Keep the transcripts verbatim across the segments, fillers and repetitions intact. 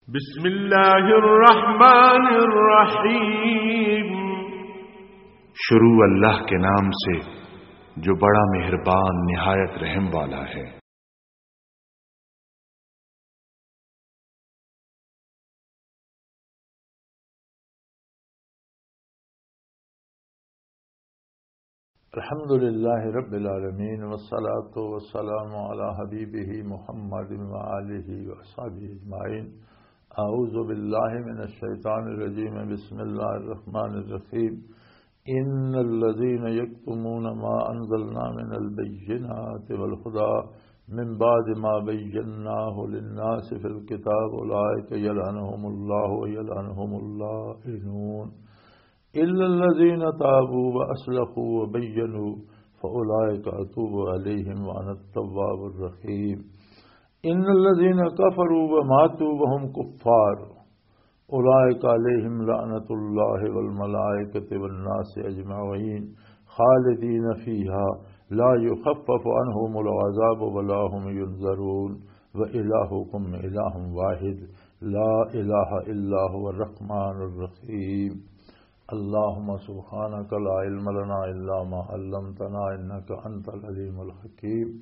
بسم اللہ الرحمن الرحیم۔ شروع اللہ کے نام سے جو بڑا مہربان نہایت رحم والا ہے۔ الحمد لله رب العالمين، والصلاة والسلام على حبيبه محمد وآله وأصحابه أجمعين. أعوذ بالله من الشيطان الرجيم. بسم الله الرحمن الرحيم. إن الذين يكتمون ما أنزلنا من البينات والهدى من بعد ما بيناه للناس في الكتاب أولئك يلعنهم الله ويلعنهم اللائنون. إلا الذين تابوا وأصلحوا وبينوا فأولئك أتوب عليهم وأنا التواب الرحيم. إن الذين كفروا وماتوا وهم كفار أولئك عليهم لعنة الله والملائكة والناس أجمعين خالدين فيها لا يخفف عنهم العذاب ولا هم ينظرون. وإلهكم إله واحد لا إله إلا هو الرحمن الرحيم. اللهم سبحانك لا علم لنا إلا ما علمتنا إنك أنت العليم الحكيم.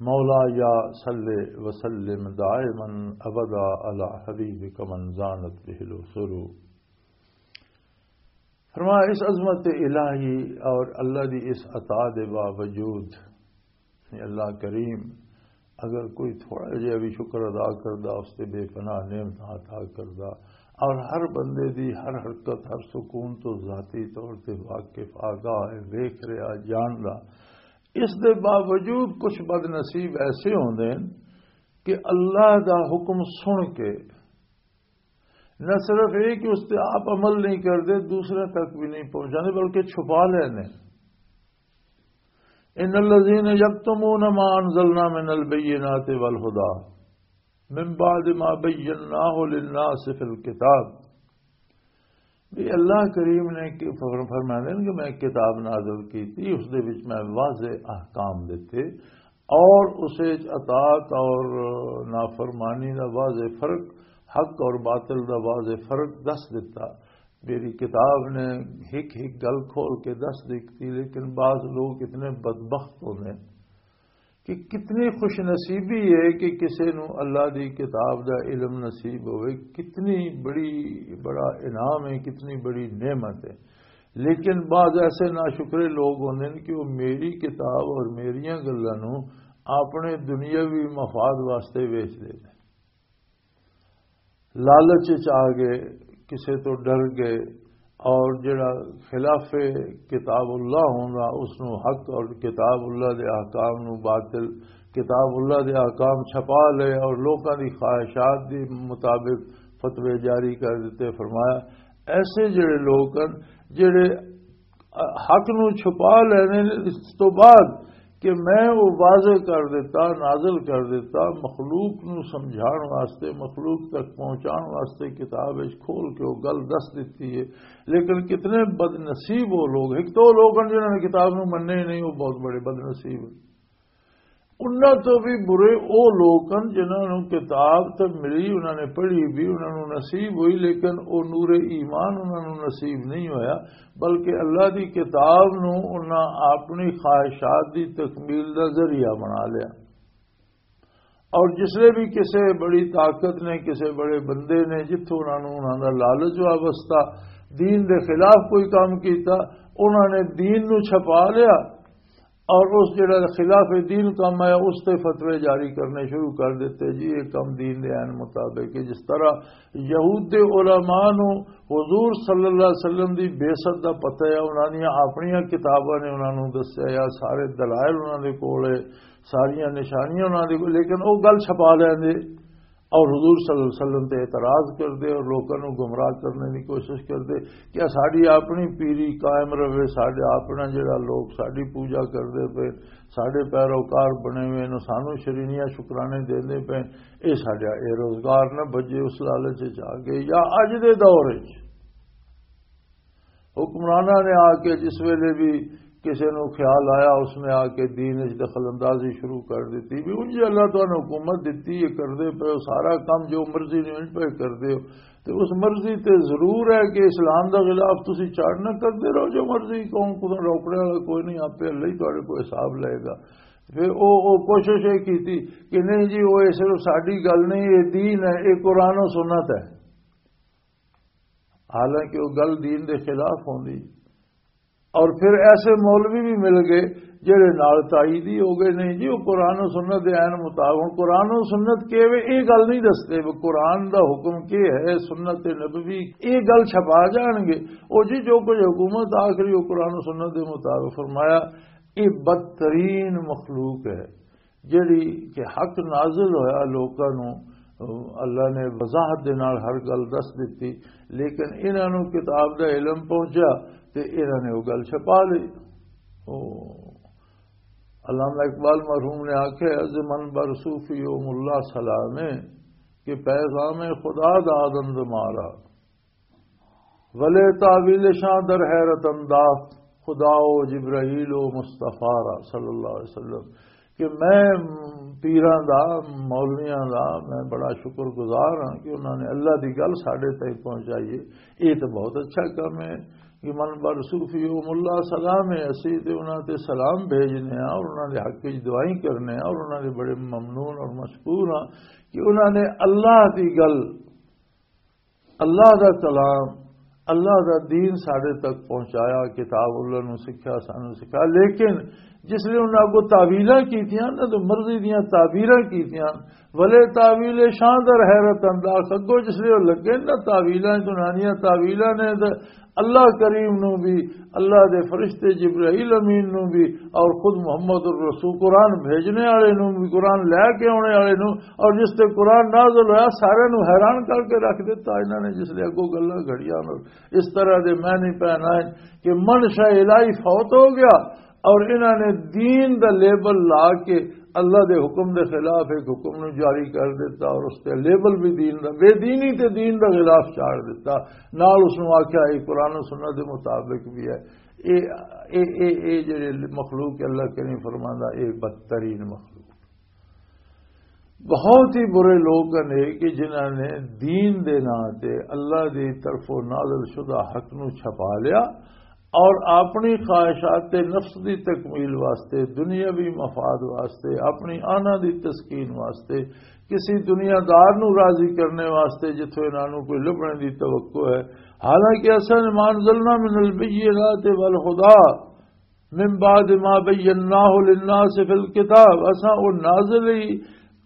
مولاي صل وسلم دائما أبدا على حبيبك من زانت به العصور. فرمایا، اس عظمت الہی اور اللہ دی اس عطا دے باوجود، یعنی اللہ کریم اگر کوئی تھوڑا جہا بھی شکر ادا کردا، اس تے بے پناہ نعمت عطا کردا، اور ہر بندے دی ہر حرکت، ہر سکون تو ذاتی طور تے واقف، آگاہ ہے، ویکھ رہا، جاندا، اس دے باوجود کچھ بد نصیب ایسے ہوندے ہیں کہ اللہ دا حکم سن کے نہ صرف یہ کہ اس تے آپ عمل نہیں کردے، دوسرے تک بھی نہیں پہنچاندے، بلکہ چھپا لینے۔ ان الذين يكتمون ما انزلنا من البينات والهدى من بعد ما بيناه للناس في الكتاب۔ بھی اللہ کریم نے کہ فر-، فرماندے نے کہ میں کتاب نازل کی تھی، اس دے وچ میں واضح احکام دیتے، اور اسے اطاعت اور نافرمانی دا واضح فرق، حق اور باطل دا واضح فرق دس دیتا۔ میری کتاب نے ہک ہک گل کھول کے دس دیتی، لیکن بعض لوگ اتنے بدبخت ہوندے ہیں کہ کتنی خوش نصیبی ہے کہ کسے نو اللہ دی کتاب دا علم نصیب ہوئے، کتنی بڑی، بڑا انعام ہے، کتنی بڑی نعمت ہے۔ لیکن بعض ایسے ناشکرے لوگ ہوندے نے کہ وہ میری کتاب اور میریاں گلاں نو اپنے دنیاوی مفاد واسطے ویچ دے نے۔ لالچ وچ آ گئے، کسے تو ڈر گئے، اور جڑا خلاف کتاب اللہ ہوندا، اس نو حق اور کتاب اللہ دے احکام نو باطل، کتاب اللہ دے احکام چھپا لے اور لوکاں دی خواہشات دے مطابق فتوے جاری کر دیتے۔ فرمایا، ایسے جڑے لوگ ہن، جڑے حق نو چھپا لینے، اس تو بعد کہ میں وہ واضح کر دیتا، نازل کر دیتا، مخلوق نو سمجھان واسطے، مخلوق تک پہنچان واسطے کتاب وچ کھول کے وہ گل دس دیتی ہے۔ لیکن کتنے بد نصیب وہ لوگ، ایک تو وہ لوگ ہیں جنہوں نے کتاب نو مننے ہی نہیں، وہ بہت بڑے بد نصیب ہیں۔ انہاں تو بھی برے او لوگ ہن جنہاں نوں کتاب تے ملی، انہاں نے پڑھی بھی، انہاں نوں نصیب ہوئی، لیکن او نور ایمان انہاں نوں نصیب نہیں ہویا، بلکہ اللہ دی کتاب نوں انہاں اپنی خواہشات دی تکمیل دا ذریعہ بنا لیا۔ اور جس لے بھی کسے بڑی طاقت نے، کسے بڑے بندے نے، جتھوں انہاں نوں انہاں دا لالچ وابستہ، دین دے خلاف کوئی کام کیتا، انہاں نے دین نوں چھپا لیا، اور اس جڑا خلاف دین کم آیا، اس تے فتوے جاری کرنے شروع کر دیتے، جی یہ کم دین دے عین مطابق ہے۔ جس طرح یہود دے علماء نو حضور صلی اللہ علیہ وسلم دی بعثت دا پتہ ہے، انہاں دیاں اپنیاں کتاباں نے انہاں نو دسیا، یا سارے دلائل انہاں دے کول ہے، ساریاں نشانیاں انہاں دے کول، لیکن او گل چھپا لیندے۔ اور حضور صلی اللہ علیہ وسلم تے اعتراض کردے اور لوکاں نوں گمراہ کرنے دی کوشش کردے کہ ساڈی اپنی پیری قائم رہے، ساڈے اپنا جڑا لوگ ساڈی پوجا کردے پے، ساڈے پیروکار بنے ہوئے نے، سانوں شرینیاں شکرانے دیندے پے، اے ساڈا اے روزگار نہ بجے، اس لالچ وچ آ گئے۔ یا اج دے دور وچ حکمراناں نے آ کے جس ویلے بھی کسے نو خیال آیا، اس نے آ کے دین وچ دخل اندازی شروع کر دتی، بھی انج اللہ تانوں حکومت دتی ہے، کردے پئے ہو، سارا کم جو مرضی نے انج پئے کردے ہو۔ تے اس مرضی تے ضرور ہے کہ اسلام دا خلاف تسی چاڑنا، کردے رہو جو مرضی، کون کو روکنے والا کوئی نہیں، آپے اللہ ہی تہاڈے کو حساب لے گا۔ پھر او او کوشش یہ کیتی کہ نہیں جی، وہ صرف ساڈی گل نہیں، یہ دین ہے، یہ قرآن و سنت ہے۔ حالانکہ وہ گل دین دے خلاف ہوندی۔ اور پھر ایسے مولوی بھی مل گئے جڑے نال تائید ہی ہو گئے، نہیں جی، وہ قرآن و سنت دے عین مطابق۔ ہن قرآن و سنت کی وے، یہ گل نہیں دستے، وہ قرآن دا حکم کی ہے، سنت نبوی، یہ گل چھپا جان گے۔ او جی، جو کچھ حکومت آخری وہ قرآن و سنت دے مطابق فرمایا، یہ بدترین مخلوق ہے۔ جڑی کہ حق نازل ہویا لوکاں نوں، اللہ نے وضاحت دے نال ہر گل دس دتی، لیکن انہاں نوں کتاب دا علم پہنچیا تے انہاں نے وہ گل چھپا لئی۔ او علامہ اقبال مرحوم نے آکھیا، "از من بر صوفی و ملا سلامے، کہ پیغام خدا دادند مارا، ولے تاویل شاں در حیرت انداخت خدا و جبرائیل و مصطفیٰ را"، صلی اللہ علیہ وسلم، کہ میں پیراں دا، مولویاں دا میں بڑا شکر گزار ہاں کہ انہاں نے اللہ دی گل ساڈے تائیں پہنچائی ہے۔ یہ تو بہت اچھا کم ہے کہ من بر صوفی و ملا سلام ہے، اسی تے انہاں تے سلام بھیجنے ہاں اور انہاں دے حق وچ دعائیں کرنے ہاں اور انہاں دے بڑے ممنون اور مشکور ہاں کہ انہاں نے اللہ دی گل، اللہ دا کلام، اللہ دا دین ساڈے تک پہنچایا، کتاب اللہ نو سکھیا، سانو سکھا۔ لیکن جس لئے انہاں کو تعویلاں کیتیاں، انہاں دے مرضی دیاں تعبیراں کیتیاں، ولے تعویل شاں در حیرت انداز، اگوں جس لئے وہ لگے نا تعویلاں، انہاں دیاں تعویلاں نے تے اللہ کریم نو بھی، اللہ دے فرشتے جبرائیل امین نو بھی، اور خود محمد الرسول قرآن بھیجنے والے نو بھی، قرآن لے کے آنے والے نو، اور جس تے قرآن نازل ہویا، سارے نو حیران کر کے رکھ دیتا۔ انہاں نے جس لئے اگوں گلاں گھڑیاں اور اس طرح دے معنی پہنائے کہ منشا الہی فوت ہو گیا، اور انہاں نے دین دا لیبل لا کے اللہ دے حکم دے خلاف ایک حکم نو جاری کر دیتا، اور اس تے لیبل بھی دین دا، بے دینی تے دین دا خلاف چاڑ دیتا، نال اس نو آکھیا، "اے قرآن و سنت دے مطابق بھی ہے۔" اے، اے، اے، اے جڑے مخلوق اللہ کریم فرماندا، اے بدترین مخلوق۔ بہت ہی برے لوگ نے کہ جنہاں نے دین دے نام تے، اللہ دی طرفوں نازل شدہ حق نو چھپا لیا اور اپنی خواہشات نفس دی تکمیل واسطے، دنیاوی مفاد واسطے، اپنی آنا دی تسکین واسطے، کسی دنیا دار نو راضی کرنے واسطے جتھوں انہاں نو کوئی لبھنے دی توقع ہے۔ حالانکہ اساں ما انزلنا من البینات والہدی من بعد ما بیناہ للناس فی الکتاب، اساں او نازل ہی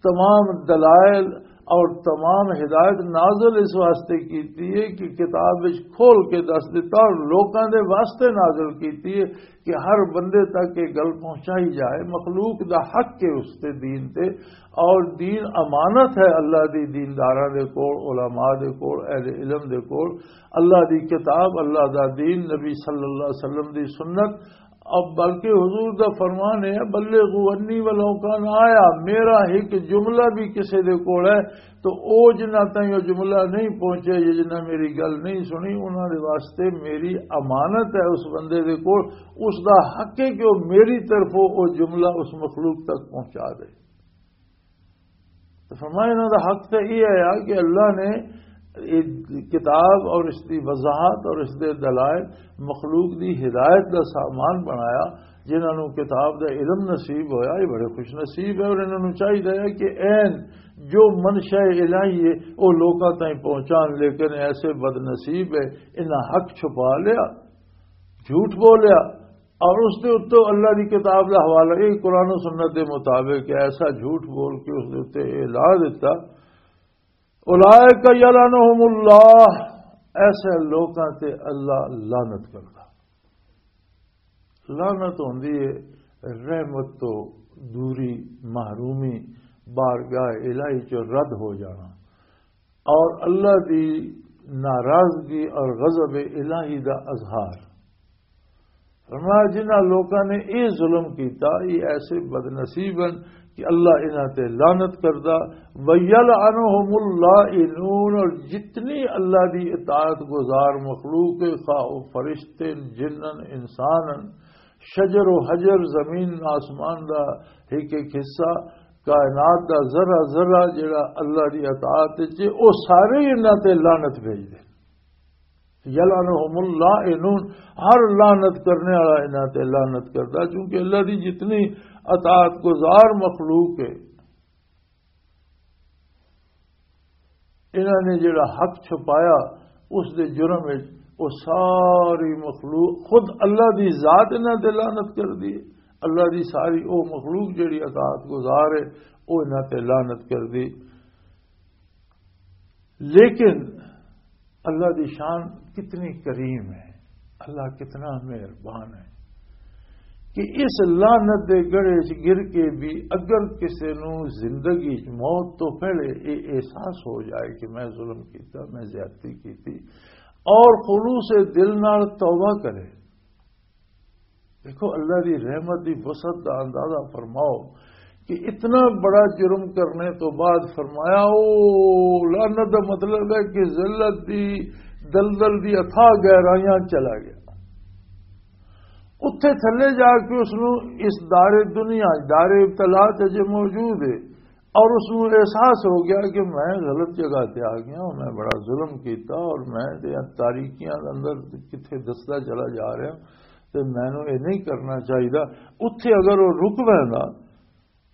تمام دلائل اور تمام ہدایت نازل اس واسطے کیتی ہے کہ کتاب وچ کھول کے دس دیتا اور لوکاں دے واسطے نازل کیتی ہے کہ ہر بندے تک یہ گل پہنچائی جائے، مخلوق دا حق ہے اس تے دین تے، اور دین امانت ہے اللہ دی دینداراں دے کول، علماء دے کول، اہل علم دے کول۔ اللہ دی کتاب، اللہ دا دین، نبی صلی اللہ علیہ وسلم دی سنت، اب بلکہ حضور دا فرمان ہے، "بلغوا عنی ولو کان آیہ"، میرا ایک جملہ بھی کسے دے کول ہے تو او جنہ تائیں او جملہ نہیں پہنچے یا جنہ میری گل نہیں سنی، انہاں دے واسطے میری امانت ہے اس بندے دے کول، اس دا حق ہے کہ او میری طرفوں او جملہ اس مخلوق تک پہنچا دے۔ تو فرمایا، انہاں دا حق تے یہ ہے کہ اللہ نے یہ کتاب اور اس دی وضاحت اور اس دے دلائل مخلوق دی ہدایت دا سامان بنایا۔ جنہاں نوں کتاب دا علم نصیب ہویا، یہ بڑے خوش نصیب ہے، اور انہاں نوں چاہیدا ہے کہ این جو منشا الہی ہے، وہ لوکاں تائیں پہنچان، لیکن ایسے بد نصیب ہے، انہاں حق چھپا لیا، جھوٹ بولیا، اور اس دے اتوں اللہ دی کتاب دا حوالہ، یہ قرآن و سنت دے مطابق ہے، ایسا جھوٹ بول کے اس دے اتے یہ لا دیتا۔ اولئک یلعنہم اللہ، ایسے لوکاں تے اللہ لعنت کردا۔ لعنت ہوندی ہے رحمت تو دوری، محرومی، بارگاہ الہی چ رد ہو جانا۔ اور اللہ دی ناراضگی اور غضب الہی دا اظہار۔ فرمایا، جنہاں لوکاں نے یہ ظلم کیتا، یہ ایسے بد نصیب ہیں کہ اللہ انہاں تے لعنت کردا۔ وَيَلْعَنُهُمُ اللَّاعِنُونَ، اور جتنی اللہ دی اطاعت گزار مخلوق ہے، خواہ وہ فرشتے، جنن، انسان، شجر و حجر، زمین آسمان دا ایک ایک حصہ، کائنات دا ذرہ ذرہ جڑا اللہ دی اطاعت وچ ہے، او سارے ہی انہاں تے لعنت بھیج دے۔ یلعنہم اللائنون، ہر لعنت کرنے والا انہاں تے لعنت کردا، کیونکہ اللہ دی جتنی اطاعت گزار مخلوق ہے، انہاں نے جڑا حق چھپایا، اس دے جرم وچ وہ ساری مخلوق، خود اللہ دی ذات انہاں تے لعنت کر دی۔ اللہ دی ساری او مخلوق جڑی اطاعت گزار ہے، وہ انہاں تے لعنت کر دی۔ لیکن اللہ دی شان کتنی کریم ہے، اللہ کتنا مہربان ہے کہ اس لعنت دے گڑھے چ گر کے بھی اگر کسے نو زندگی چ موت تو پہلے یہ احساس ہو جائے کہ میں ظلم کیتا، میں زیادتی کیتی، اور خلوص دل نال توبہ کرے۔ دیکھو، اللہ دی رحمت دی وسعت دا اندازہ فرماؤ کہ اتنا بڑا جرم کرنے تو بعد فرمایا، او لعنت دا مطلب ہے کہ ذلت دی دلدل دی اتھاہ گہرائیاں چلا گیا۔ اتھے تھلے جا کے اس نو اس دار دنیا، دار ابتلا تے جے موجود ہے، اور اس نو احساس ہو گیا کہ میں غلط جگہ تے آ گیا ہوں، میں بڑا ظلم کیتا اور میں تے تاریکیاں دے اندر کتھے دسدا چلا جا رہا ہوں، تے مینوں یہ نہیں کرنا چاہیدا۔ اتھے اگر وہ رک ویندا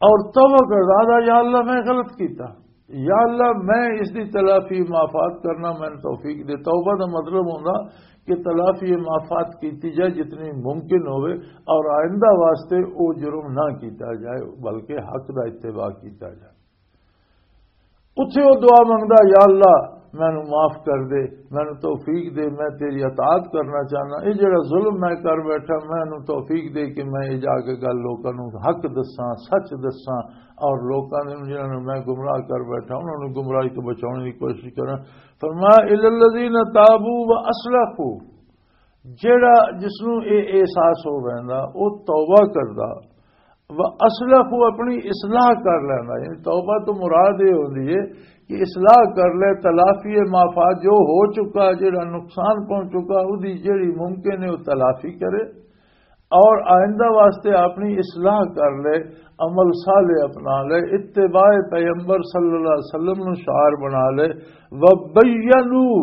اور توبہ کردا، آہدا، یا اللہ، میں غلط کیتا، یا اللہ، میں اس دی تلافی معافات کرنا، میں توفیق دے۔ توبہ دا مطلب ہوندا کہ تلافی معافات کیتی جائے جتنی ممکن ہوئے، اور آئندہ واسطے او جرم نہ کیتا جائے، بلکہ حق دا اتباع کیتا جائے۔ اتھے او دعا منگدا، یا اللہ، مینوں معاف کر دے، مینوں توفیق دے، میں تیری اطاعت کرنا چاہنا، یہ جڑا ظلم میں کر بیٹھا، مینوں توفیق دے کہ میں یہ جا کے گل لوکاں نوں حق دساں، سچ دساں، اور لوکاں دے جنہاں نوں میں گمراہ کر بیٹھا، انہاں نوں گمراہی تو بچاؤن دی کوشش کراں۔ فرمایا، الا الذین تابوا و اصلحوا، جڑا، جس نوں اے احساس ہو ویندا، او توبہ کردا، و اصلحوا، اپنی اصلاح کر لیندا۔ یعنی توبہ تو مراد یہ ہوندی ہے کہ اصلاح کر لے، تلافی معافات، جو ہو چکا، جڑا نقصان پہنچ چکا، اودی جڑی ممکن ہے وہ تلافی کرے، اور آئندہ واسطے اپنی اصلاح کر لے، عمل صالح اپنا لے، اتباع پیغمبر صلی اللہ علیہ وسلم نو شعار بنا لے، وبینوا،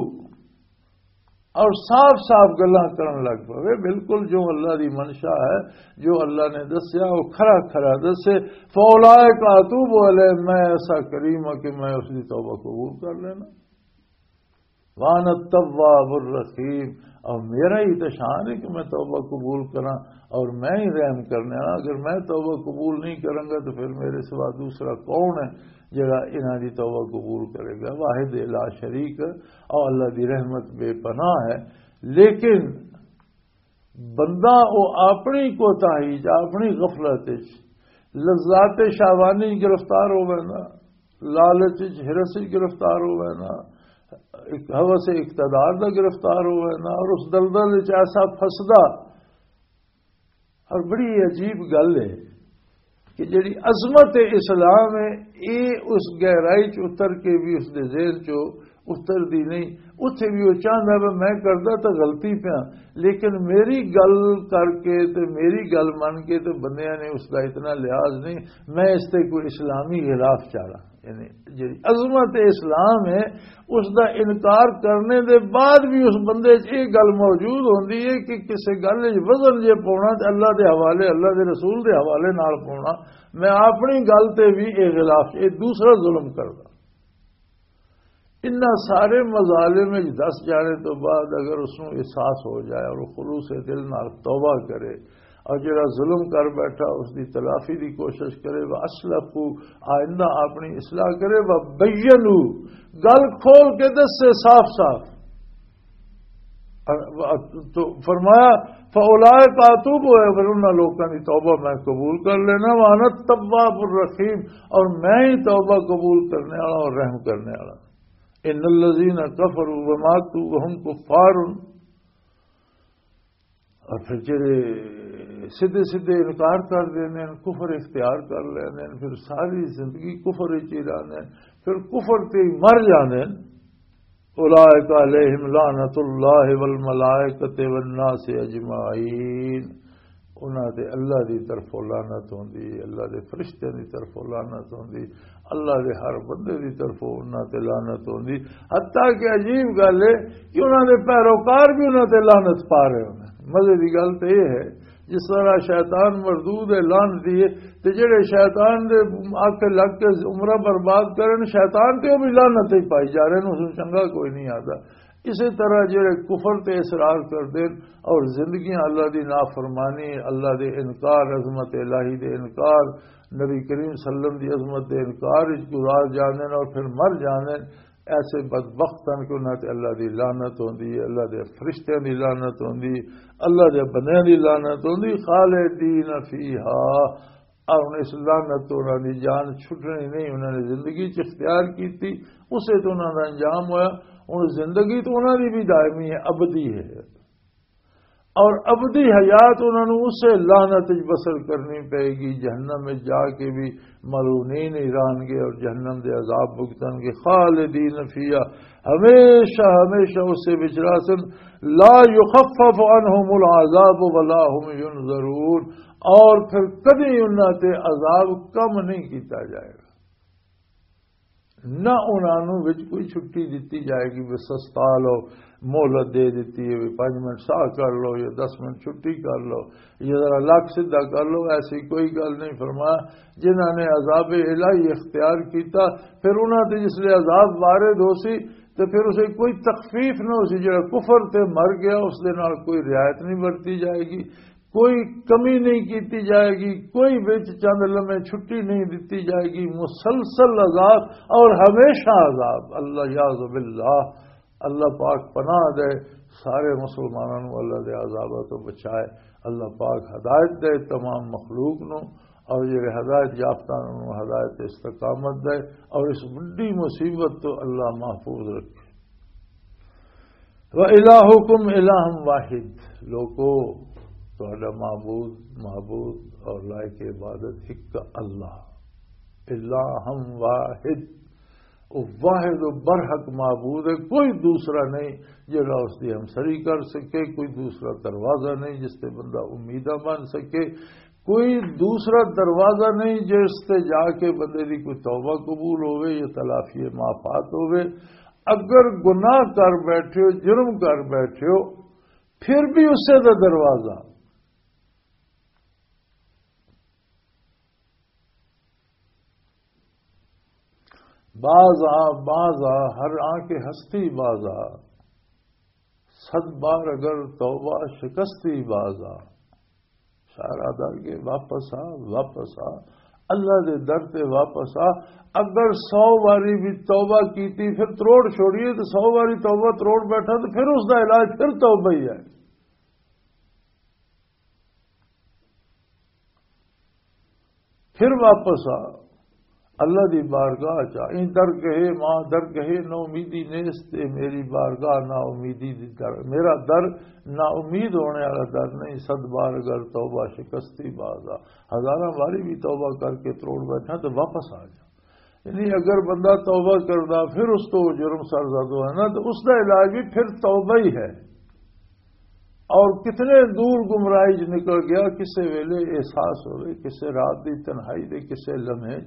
اور صاف صاف گلاں کرن لگ پوے، بالکل جو اللہ دی منشا ہے، جو اللہ نے دسیا، وہ کھرا کھرا دسے۔ فاولائک اتوب علیہ، میں ایسا کریم ہاں کہ میں اس دی توبہ قبول کر لینا۔ وانا التواب الرحیم، اور میرا ہی تو شان ہے کہ میں توبہ قبول کراں، اور میں ہی رحم کرنے والا۔ اگر میں توبہ قبول نہیں کروں گا تو پھر میرے سوا دوسرا کون ہے جڑا انہاں دی توبہ قبول کرے گا؟ واحد لا شریک، اور اللہ دی رحمت بے پناہ ہے۔ لیکن بندہ وہ اپنی کوتاہی چ، اپنی غفلت چ، لذات شہوانی چ گرفتار ہو وینا، لالچ چ، ہرس چ گرفتار ہو وینا، ایک ہوس اقتدار دا گرفتار ہو وینا، اور اس دلدل چ ایسا پھسدا۔ اور بڑی عجیب گل ہے کہ جڑی عظمت اسلام ہے، یہ اس گہرائی چ اتر کے بھی اس دے ذہن چ اتر دی نہیں۔ اتھے بھی وہ چاہتا ہے، میں کردا تو غلطی پیا، لیکن میری گل کر کے تے میری گل من کے تے بندیاں نے اس دا اتنا لحاظ نہیں، میں اس تے کوئی اسلامی غلاف چاڑا۔ یعنی جڑی عظمت اسلام ہے، اس دا انکار کرنے دے بعد بھی اس بندے چ یہ گل موجود ہوندی ہے کہ کسے گل وچ وزن جے پاؤنا تے اللہ دے حوالے، اللہ دے رسول دے حوالے نال پاؤنا، میں اپنی گل تے بھی یہ غلاف، یہ دوسرا ظلم کردا۔ انہاں سارے مظالم وچ دس جانے تو بعد اگر اس نوں احساس ہو جائے اور وہ خلوص دل نال توبہ کرے، اور جڑا ظلم کر بیٹھا، اس دی تلافی دی کوشش کرے، وَأَصْلِحُوا، آئندہ اپنی اصلاح کرے، وَبَيِّنُوا، گل کھول کے دسے صاف صاف۔ تو فرمایا، فَأُولَٰئِكَ أَتُوبُ إِلَيْهِمْ، پھر انہاں لوکاں دی توبہ میں قبول کر لینا، وَأَنَا التَّوَّابُ الرَّحِيمُ، اور میں ہی توبہ قبول کرنے والا اور رحم کرنے والا۔ إِنَّ الَّذِينَ كَفَرُوا وَمَاتُوا وَهُمْ كُفَّارٌ، اور پھر جڑے سیدھے سیدھے انکار کر دیندے ہیں، کفر اختیار کر لیندے ہیں، پھر ساری زندگی کفر وچ ہی رہندے ہیں، پھر کفر تے ہی مر جاندے ہیں۔ أُولَٰئِكَ عَلَيْهِمْ لَعْنَةُ اللَّهِ وَالْمَلَائِكَةِ وَالنَّاسِ أَجْمَعِينَ۔ انہاں تے اللہ دی طرفوں لعنت ہوندی، اللہ دے فرشتیاں دی طرفوں لعنت ہوندی، اللہ دے ہر بندے دی طرفوں انہاں تے لعنت ہوندی۔ حتیٰ کہ عجیب گل ہے کہ انہاں دے پیروکار بھی انہاں تے لعنت پا رہے ہوندے۔ مزے دی گل تے یہ ہے، جس طرح شیطان مردود ہے لعنتی ہے، تے جڑے شیطان دے آکے لگ کے عمرہ برباد کرن، شیطان تے وہ بھی لعنت ہی پائی جا رہے ہیں، اس نوں چنگا کوئی نہیں آتا۔ اسی طرح جڑے کفر تے اصرار کردے اور زندگیاں اللہ دی نافرمانی، اللہ دے انکار، عظمت الہی دے انکار، نبی کریم صلی اللہ علیہ وسلم دی عظمت دے انکار وچ گزار جاندے نے اور پھر مر جاندے نے، ایسے بدبخت ہن کہ انہاں تے اللہ دی لعنت ہوندی ہے، اللہ دے فرشتیاں دی لعنت ہوندی، اللہ دے بندیاں دی لعنت ہوندی۔ خالدین فیہا، اور ہن اس لعنت تو انہاں دی جان چھٹنی نہیں، انہاں نے زندگی چ اختیار کیتی، اسے تو انہاں دا انجام ہویا۔ ہن زندگی تو انہاں دی بھی دائمی ہے، ابدی ہے، اور ابدی حیات انہاں نوں اسے لعنت وچ بسر کرنی پئے گی، جہنم وچ جا کے بھی ملعونین ہی رہن گے اور جہنم دے عذاب بھگتن گے۔ خالدین فیہا، ہمیشہ ہمیشہ اسے وچ رہسن۔ لا یخفف عنہم العذاب ولا هم ینظرون، اور پھر کدی انہاں تے عذاب کم نہیں کیتا جائے گا، نہ انہاں نوں وچ کوئی چھٹی دتی جائے گی، بس سستا لو، مہلت دے دتی ہے، بھی پانچ منٹ ساہ کر لو یا دس منٹ چھٹی کر لو، یا ذرا لک سیدھا کر لو، ایسی کوئی گل نہیں۔ فرمایا، جنہاں نے عذاب الہی اختیار کیتا، پھر انہاں تے جس لئے عذاب وارد ہو سی، تے پھر اسے کوئی تخفیف نہ ہو سی، جڑا کفر تے مر گیا، اس دے نال کوئی رعایت نہیں برتی جائے گی، کوئی کمی نہیں کیتی جائے گی، کوئی وچ چند لمحے چھٹی نہیں دتی جائے گی، مسلسل عذاب اور ہمیشہ عذاب۔ اللہ یعوذ باللہ، اللہ پاک پناہ دے سارے مسلمانوں نوں اللہ دے عذاباں تو بچائے۔ اللہ پاک ہدایت دے تمام مخلوق نوں، اور جڑے ہدایت یافتہ نوں ہدایت استقامت دے، اور اس بڑی مصیبت تو اللہ محفوظ رکھے۔ وَإِلَٰهُكُمْ إِلَٰهٌ وَاحِدٌ، لوکو، تہاڈا معبود، معبود اور لائق عبادت ایک اللہ، الہ واحد، وہ واحد و برحق معبود ہے، کوئی دوسرا نہیں جڑا اس دی ہمسری کر سکے، کوئی دوسرا دروازہ نہیں جس تے بندہ امیداں بن سکے، کوئی دوسرا دروازہ نہیں جس تے جا کے بندے دی کوئی توبہ قبول ہوئے یا تلافی معافات ہوئے۔ اگر گناہ کر بیٹھے ہو، جرم کر بیٹھے ہو، پھر بھی اسے دا دروازہ۔ باز آ، باز آ، ہر آ کے ہستی باز آ۔ صد بار اگر توبہ شکستی باز آ۔ سارا در کے واپس آ، واپس آ، اللہ دے در تے واپس آ۔ اگر سو واری بھی توبہ کیتی، پھر تروڑ چھوڑیے، تو سو واری توبہ تروڑ بیٹھا، تو پھر اس دا علاج پھر توبہ ہی ہے۔ پھر واپس آ، اللہ دی بارگاہ چا۔ این در کہے، ماں در کہے، نہ امیدی نیست، اے میری بارگاہ نہ امیدی دی در۔ میرا در نہ امید ہونے والا در نہیں۔ صد بار اگر توبہ شکستی باز آ، ہزاراں باری بھی توبہ کر کے تروڑ بیٹھا تو واپس آ جا۔ یعنی اگر بندہ توبہ کردا، پھر اس تو جرم سرزد ہوئے نا، تو اس دا علاج بھی پھر توبہ ہی ہے۔ اور کتنے دور گمراہی چ نکل گیا، کسے ویلے احساس ہوئے، کسے رات دی تنہائی دے کسے لمحے،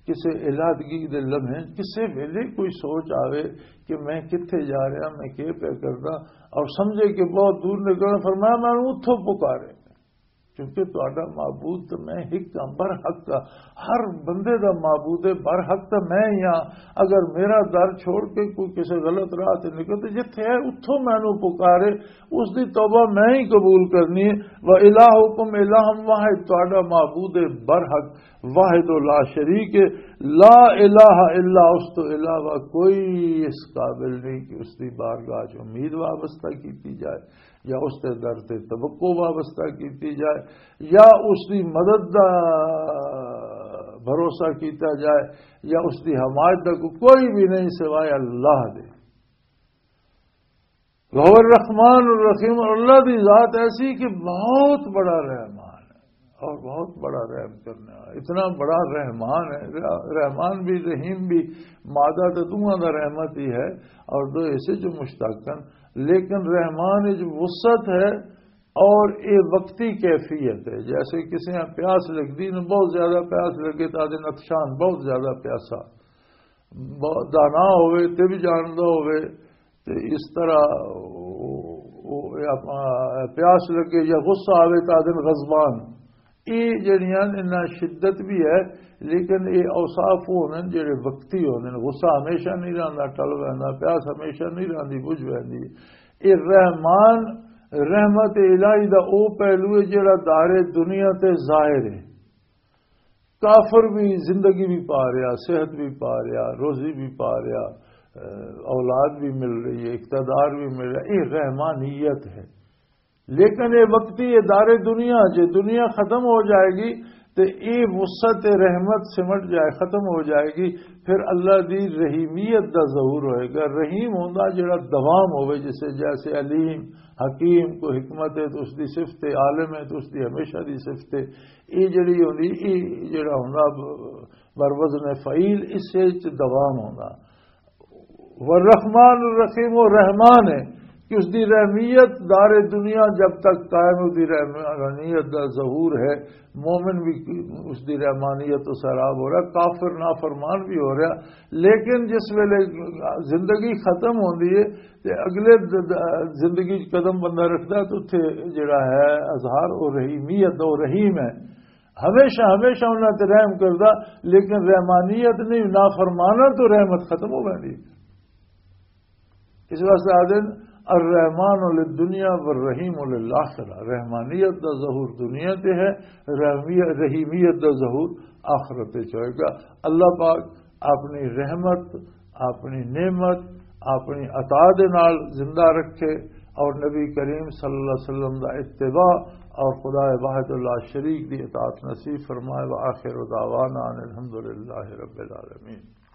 کسے علادگی دے لمحے، کسے ویلے کوئی سوچ آوے کہ میں کتھے جا رہا، میں کی پیا کردا، اور سمجھے کہ بہت دور نکلنا، فرمایا، میں اتھوں پکارے۔ کیونکہ تہاڈا معبود تے میں ہک ہاں، برحق ہاں۔ ہر بندے دا معبود ہے، برحق تے میں ہی ہاں۔ اگر میرا در چھوڑ کے کوئی کسے غلط راہ تے نکل، تے جتھے ہے، اتھوں مینوں پکارے، اس دی توبہ میں ہی قبول کرنی ہے۔ وَإِلَٰهُكُمْ إِلَٰهٌ وَاحِدٌ، تہاڈا معبود ہے برحق، واحد و لا شریک ہے، لا الہ الا، اس تو علاوہ کوئی اس قابل نہیں کہ اس دی بارگاہ چ امید وابستہ کیتی جائے، یا اس دے در تے توقع وابستہ کیتی جائے، یا اس دی مدد دا بھروسہ کیتا جائے، یا اس دی حمایت دا کو-، کوئی بھی نہیں سوائے اللہ دے۔ وَهُوَ الرَّحْمَٰنُ الرَّحِيمُ، اور اللہ دی ذات ایسی کہ بہت بڑا رحمان ہے اور بہت بڑا رحم کرنے والا، اتنا بڑا رحمان ہے۔ رحمان بھی، رحیم بھی، مادہ تو دونوں دا رحمت ہی ہے، اور دو ایسے جو مشتق ہیں، لیکن رحمان وچ وسعت ہے، اور یہ وقتی کیفیت ہے، جیسے کسی نے پیاس لگدی نہ، بہت زیادہ پیاس لگے تو آدھے نتشان، بہت زیادہ پیاسا، بہت دانا ہوئے تے بھی جاندا ہوئے، تے اس طرح او-، او-، اے اپنا پیاس لگے یا غصہ آوے تو آدھے غضبان۔ یہ جڑیاں انہاں شدت بھی ہے، لیکن یہ اوصاف ہونے جڑے وقتی ہونے۔ غصہ ہمیشہ نہیں رہندا، ٹل ویندا، پیاس ہمیشہ نہیں رہندی، بجھ ویندی۔ یہ رحمان، رحمت الہی دا او پہلو ہے جڑا دار دنیا تے ظاہر ہے۔ کافر بھی زندگی بھی پا رہا، صحت بھی پا رہا، روزی بھی پا رہا، اولاد بھی مل رہی ہے، اقتدار بھی مل رہا ہے، یہ رحمانیت ہے۔ لیکن یہ وقتی، یہ دار دنیا، جے دنیا ختم ہو جائے گی تو یہ وسعت رحمت سمٹ جائے، ختم ہو جائے گی۔ پھر اللہ دی رحیمیت دا ظہور ہوئے گا۔ رحیم ہوندا جڑا دوام ہوئے، جسے جیسے علیم، حکیم، کوئی حکمت ہے تو اس دی صفت ہے، عالم ہے تو اس دی ہمیشہ دی صفت ہے۔ یہ جڑی ہوندی، یہ جڑا ہوندا بر وزن فعیل، اس وچ دوام ہوندا۔ والرحمن الرحیم، وہ رحمان ہے کہ اس دی رحمیت دار دنیا جب تک قائم، اس دی رحمانیت دا ظہور ہے، مومن بھی اس دی رحمانیت تو سیراب ہو رہا، کافر نافرمان بھی ہو رہا۔ لیکن جس ویلے زندگی ختم ہوندی ہے تے اگلے د-، د-، زندگی چ قدم بندہ رکھدا ہے تو اتھے جڑا ہے اظہار او رحیمیت دا، او رحیم ہے، ہمیشہ، ہمیشہ انہاں تے رحم کردا۔ لیکن رحمانیت نہیں، نافرماناں تو رحمت ختم ہو ویندی۔ اس واسطے آدھے الرحمن للدنیا والرحیم للآخرہ۔ رحمانیت دا ظہور دنیا تے ہے، رحمی-، رحیمیت دا ظہور آخرت وچ ہوئے گا۔ اللہ پاک اپنی رحمت، اپنی نعمت، اپنی عطا دے نال زندہ رکھے اور نبی کریم صلی اللہ علیہ وسلم دا اتباع اور خدا واحد اللہ شریک دی اطاعت نصیب فرمائے۔ وآخر دعوانا ان الحمدللہ رب العالمین۔